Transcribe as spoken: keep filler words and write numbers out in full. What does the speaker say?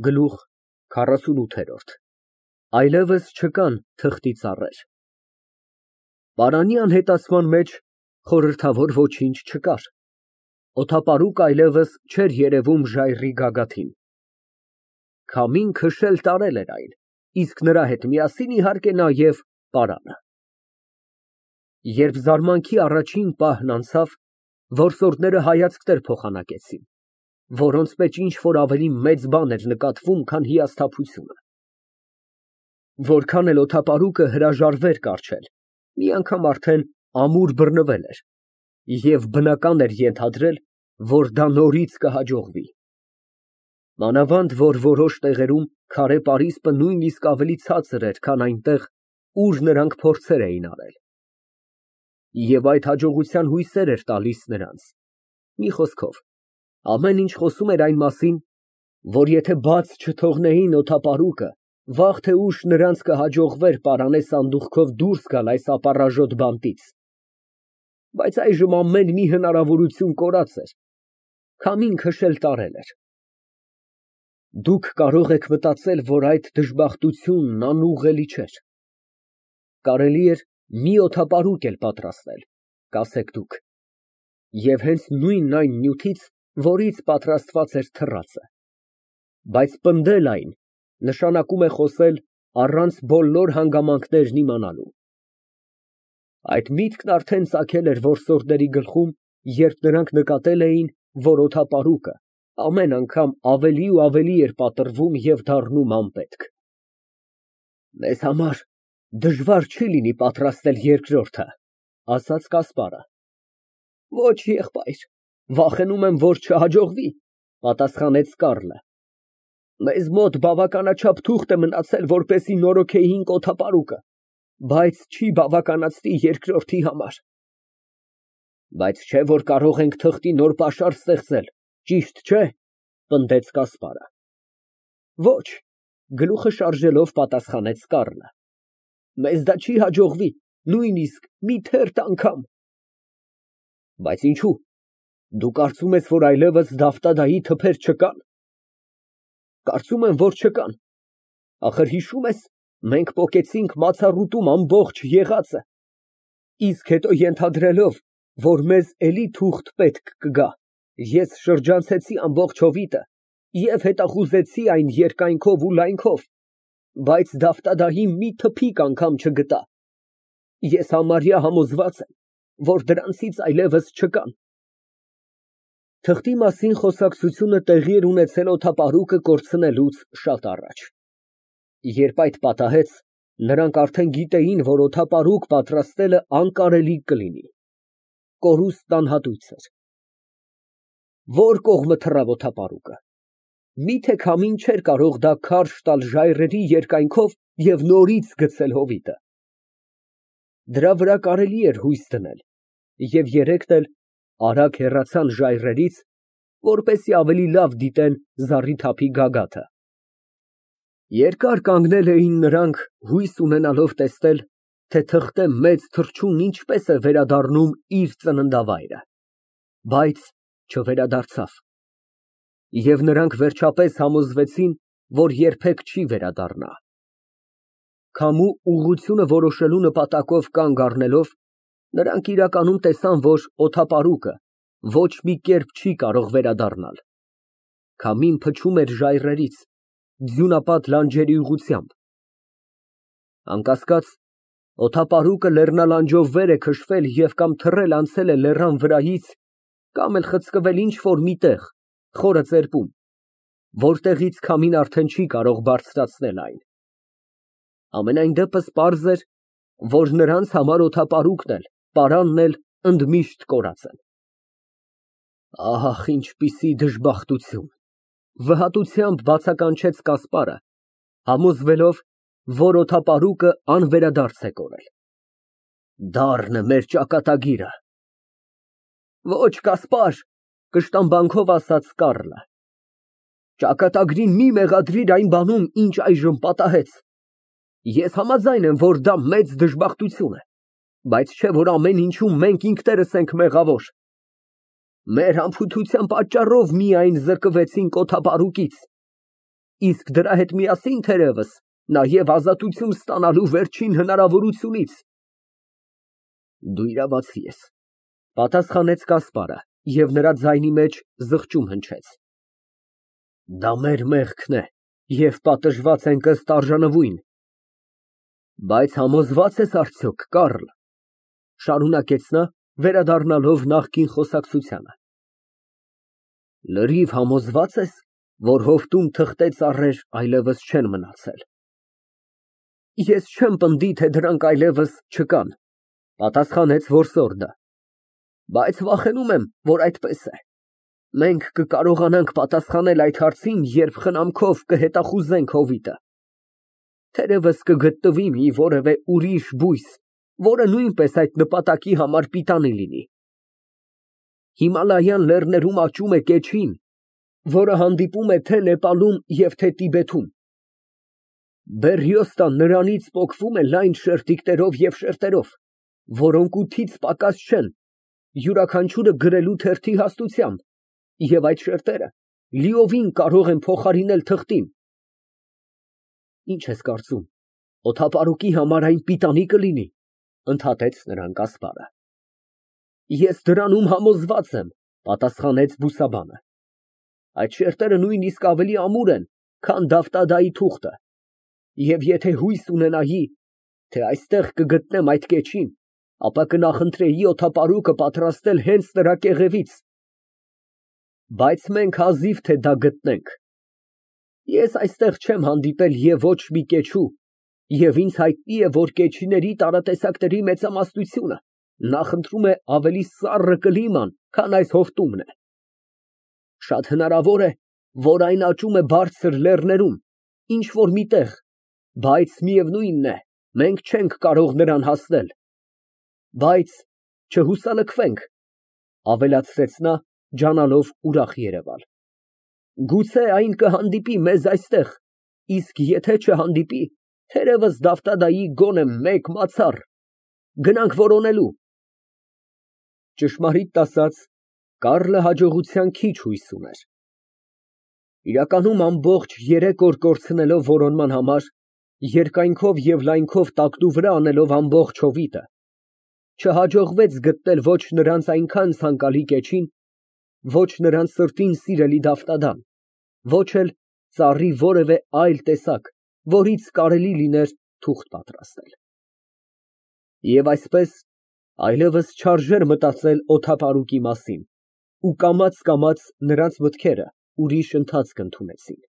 Գլուխ քառասունութ Այլևս չկան թղթի ծառեր։ Պարանի անհետացման մեջ խորհրդավոր ոչինչ չկար, օդապարուկը այլևս չէր երևում ժայռի գագաթին։ Քամին քշել տարել էր այն, իսկ նրա հետ միասին, իհարկե, նաև պարանը։ Երբ զարմանքի առաջին պահն անցավ, որսորդները հայացքներ փոխանակեցին, որոնց մեջ ինչ֊որ ավելի մեծ բան էր նկատվում, քան հիասթափությունը։ Որքան էլ օդապարուկը հրաժարվեր կառչել, մի անգամ արդեն ամուր բռնվել էր, և բնական էր ենթադրել, որ դա նորից կհաջողվի։ Մանավանդ որ որոշ տեղերում քարե պարիսպը նույնիսկ ավելի ցածր էր, քան այնտեղ, ուր նրանք փորձեր էին արել։ Եվ այդ հաջողության հույսեր էր տալիս նրանց։ Մի խոսքով, ամեն ինչ խոսում էր այն մասին, որ եթե բաց չթողնեին օդապարուկը, վաղ թե ուշ նրանց կհաջողվեր պարանե սանդուղքով դուրս գալ այս ապառաժոտ բանտից։ Բայց այժմ ամեն մի հնարավորություն կորած էր, քամին քշել տարել էր։ Դուք կարող եք մտածել, որ այդ դժբախտությունն անուղղելի չէր։ Կարելի էր մի օդապարուկ էլ պատրաստել, կասեք դուք, և հենց նույն այն նյութից, որից պատրաստված էր թռածը։ Բայց պնդել այն նշանակում է խոսել առանց բոլոր հանգամանքներն իմանալու։ Այդ միտքն արդեն ծագել էր որսորդների գլխում, երբ նրանք նկատել էին, որ օդապարուկը ամեն անգամ ավելի ու ավելի էր պատռվում և դառնում անպետք։ Մեզ համար դժվար չի լինի պատրաստել երկրորդը, ասաց Կասպարը։ Ոչ, եղբայր, վախենում եմ, որ չհաջողվի, պատասխանեց Կառլը։ Մեզ մոտ բավականաչափ թուղթ է մնացել, որպեսզի նորոգեինք օդապարուկը, բայց չի բավականացնի երկրորդի համար։ Բայց չէ՞ որ կարող ենք թղթի նոր պաշար ստեղծել, ճիշտ չէ՞, պնդեց Կասպարը։ Ոչ, գլուխը շարժելով պատասխանեց Կառլը։ Մեզ դա չի հաջողվի, նույնիսկ մի թերթ անգամ։ Բայց ինչո՞ւ, դու կարծում ես, որ այլևս Դավթադայի թփեր չկան։ Կարծում եմ, որ չկան։ Ախր հիշում ես, մենք պոկեցինք մացառուտում ամբողջ եղածը, իսկ հետո ենթադրելով, որ մեզ էլի թուղթ պետք կգա, ես շրջանցեցի ամբողջ հովիտը և հետախուզեցի այն երկայնքով ու լայնքով, բայց Դավթադային մի թփիկ անգամ չգտա։ Ես համարյա համոզված եմ, որ դրանցից այլևս չկան։ Թղթի մասին խոսակցությունը տեղի էր ունեցել օդապարուկը կորցնելուց շատ առաջ։ Երբ այդ պատահեց, նրանք արդեն գիտեին, որ օդապարուկ պատրաստելը անկարելի կլինի։ Կորուստն անհատույց էր։ Ո՞ր կողմը թռավ օդապարուկը։ Միթե քամին չէր կարող դա քարշ տալ ժայռերի երկայնքով և նորից գցել հովիտը։ Դրա վրա կարելի էր հույս դնել, և երեքն էլ արագ հեռացան ժայռերից, որպեսզի ավելի լավ դիտեն զառիթափի գագաթը։ Երկար կանգնել էին նրանք, հույս ունենալով տեսնել, թե թղթե մեծ թռչունն ինչպես է վերադառնում իր ծննդավայրը, բայց չվերադարձավ։ Եվ նրանք վերջապես համոզվեցին, որ երբեք չի վերադառնա։ Քամու ուղղությունը որոշելու նպատակով կանգ առնելով, նրանք իրականում տեսան, որ օդապարուկը ոչ մի կերպ չի կարող վերադառնալ։ Քամին փչում էր ժայռերից, ձյունապատ լանջերի ուղղությամբ։ Անկասկած, օդապարուկը լեռնալանջով վեր է քշվել և կամ թռել անցել է լեռան վրայից, կամ էլ խցկվել ինչ֊որ մի տեղ, խորը ծերպում, որտեղից քամին արդեն չի կարող բարձրացնել այն։ Համենայն դեպս պարզ էր, որ նրանց համար օդապարուկն էլ, պարանն էլ ընդմիշտ կորած են։ Ահ, ինչպիսի դժբախտություն, վհատությամբ բացականչեց Կասպարը, համոզվելով, որ օդապարուկը անվերադարձ է կորել։ Դառն է մեր ճակատագիրը։ Ոչ, Կասպար, կշտամբանքով ասաց Կառլը, ճակատագրին մի մեղադրիր այն բանում, ինչ այժմ պատահեց։ Ես համաձայն եմ, որ դա մեծ դժբախտություն է, բայց չէ՞ որ ամեն ինչում մենք ինքներս ենք մեղավոր։ Մեր անփութության պատճառով միայն զրկվեցինք օդապարուկից։ իսկ դրա հետ միասին, թերևս, նաև ազատություն ստանալու վերջին հնարավորությունից։ Դու իրավացի ես, պատասխանեց Կասպարը, և նրա ձայնի մեջ զղջում հնչեց։ Դա մեր մեղքն է, և պատժված ենք ըստ արժանվույն։ Բայց համոզվա՞ծ ես արդյոք, Կառլ, շարունակեց նա, վերադառնալով նախկին խոսակցությանը, լրիվ համոզվա՞ծ ես, որ հովտում թղթե ծառեր այլևս չեն մնացել։ Ես չեմ պնդի, թե դրանք այլևս չկան, պատասխանեց որսորդը, բայց վախենում եմ, որ այդպես է։ Մենք կկարողանանք պատասխանել այդ հարցին, երբ խնամքով կհետախուզենք հովիտը։ Թերևս կգտնվի մի որևէ ուրիշ բույս, որը նույնպես այդ նպատակի համար պիտանի լինի։ Հիմալայան լեռներում աճում է կեչին, որը հանդիպում է թե Նեպալում և թե Տիբեթում։ Բերրիոստան նրանից պոկվում է լայն շերտիկներով և շերտերով, որոնք ութից պակաս չեն, յուրաքանչյուրը գրելու թերթի հաստությամբ, և այդ շերտերը լիովին կարող են փոխարինել թղթին։ Ինչ ես կարծում, օդապարուկի համար այն պիտանի կլինի, ընդհատեց նրան Կասպարը։ Ես դրանում համոզված եմ, պատասխանեց բուսաբանը։ Այդ շերտերը նույնիսկ ավելի ամուր են, քան Դավթադայի թուղթը, և եթե հույս ունենայի, թե այստեղ կգտնեմ այդ կեչին, ապա կնախընտրեի օդապարուկը պատրաստել հենց նրա կեղևից։ Բայց մենք հազիվ թե դա գտնենք։ Ես այստեղ չեմ հանդիպել և ոչ մի կեչու, և ինձ հայտնի է, որ կեչիների տարատեսակների մեծամասնությունը նախընտրում է ավելի սառը կլիման, քան այս հովտումն է։ Շատ հնարավոր է, որ այն աճում է բարձր լեռներում, ինչ֊որ մի տեղ, բայց միևնույնն է, մենք չենք կարող նրան հասնել։ Բայց չհուսալքվենք, ավելացրեց նա, ջանալով ուրախ երևալ։ Գուցե այն կհանդիպի մեզ այստեղ, իսկ եթե չհանդիպի, թերևս Դավթադայի գոնե մեկ մացառ, գնանք որոնելու։ Ճշմարիտ ասած, Կառլը հաջողության քիչ հույս ուներ։ Իրականում ամբողջ երեք օր կորցնելով որոնման համար, երկայնքով և լայնքով տակնուվրա անելով ամբողջ հովիտը, չհաջողվեց գտնել ոչ նրանց այնքան ցանկալի կեչին, ոչ նրանց սրտին սիրելի Դավթադան, ոչ էլ ծառի որևէ այլ տեսակ, որից կարելի լիներ թուղթ պատրաստել։ Եվ այսպես, այլևս չարժեր մտածել օդապարուկի մասին, ու կամաց֊կամաց նրանց մտքերը ուրիշ ընթացք ընդունեցին։